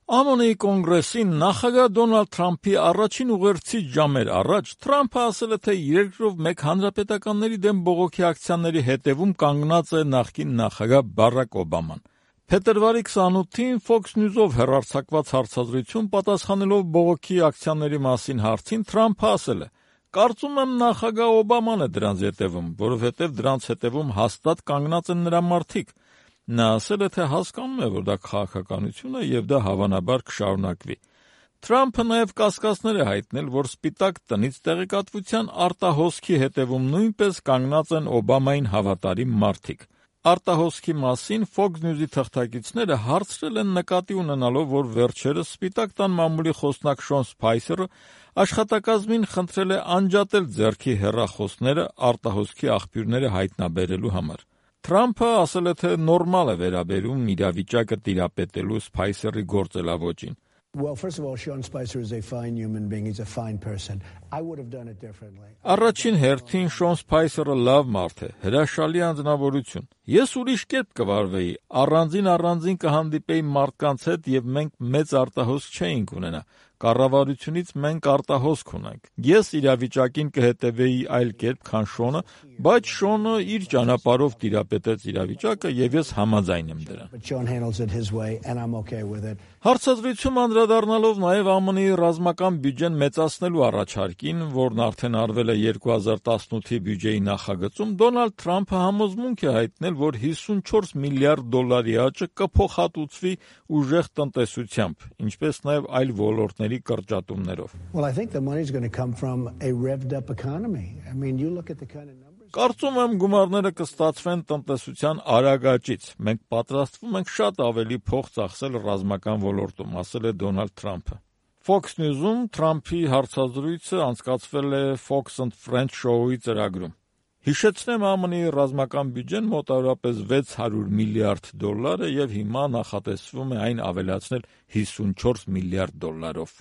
ԱՄՆ-ի կոնգրեսին նախագահ Դոնալդ Թրամփի առաջին ուղերձից ժամեր առաջ Թրամփը ասել է, թե երկրով մեկ հանրապետականների դեմ բողոքի ակցիաների հետևում կանգնած է նախկին նախագահ Բարակ Օբաման։ Փետրվարի 28-ին Fox News-ով հեռարձակված հարցազրույցում պատասխանելով բողոքի ակցիաների մասին հարցին Թրամփը ասել է. «Կարծում եմ նախագահ Օբաման է դրանց հետևում, որովհետև դրանց հետևում հաստատ կանգնած են նրա մարդիկ»։ Նա ասել է, թե հասկանում է, որ դա քաղաքականություն է և դա հավանաբար կշարունակվի։ Թրամփը նաև կասկածներ է հայտնել, որ Սպիտակ տնից տեղեկատվության արտահոսքի հետևում նույնպես կանգնած են Օբամային հավատարիմ մարդիկ։ Արտահոսքի մասին Fox News-ի թղթակիցները հարցրել են նկատի ունենալով, որ վերջերս Սպիտակ տան մամուլի խոսնակ Շոն Սփայսերը աշխատակազմին խնդրել է անջատել ձեռքի հեռախոսները արտահոսքի աղբյուրները հայտնաբերելու համար։ Թրամփը ասել է, թե նորմալ է վերաբերում իրավիճակը տիրապետելու Սփայսերի գործելավոճին։ Առաջին հերթին Շոն Սփայսերը լավ մարդ է, հրաշալի անձնավորություն։ Ես ուրիշ կերպ կվարվեի, առանձին կհանդիպեի մարդկանց հետ և մենք մեծ արտահոսք չէինք ունենա։ Կառավարությունից մենք արտահոսք ունենք։ Ես իրավիճակին կհետևեի այլ կերպ, քան Շոնը, բայց Շոնը իր ճանապարհով տիրապետեց իրավիճակը և ես համաձայն եմ դրան։ Հարցազրույցում անդրադառնալով նաև ԱՄՆ-ի ռազմական բյուջեն մեծացնելու առաջարկին, որն արդեն արվել է 2018-ի բյուջեի նախագծում, Դոնալդ Թրամփը համոզմունք է հայտնել, որ $54 միլիարդ աճը կփոխհատուցվի ուժեղ տնտեսությամբ, ինչպես նաև այլ ոլորտների կրճատումներով։ Կարծում եմ գումարները կստացվեն տնտեսության արագ աճից։ Մենք պատրաստվում ենք շատ ավելի փող ծախսել ռազմական ոլորտում, ասել է Դոնալդ Թրամփը։ Fox News-ում Թրամփի հարցազրույցը անցկացվել է Fox and Friends շոուի ծրագրում։ Հիշեցնեմ, ԱՄՆ-ի ռազմական բյուջեն մոտավորապես $600 միլիարդ է և հիմա նախատեսվում է այն ավելացնել $54 միլիարդով։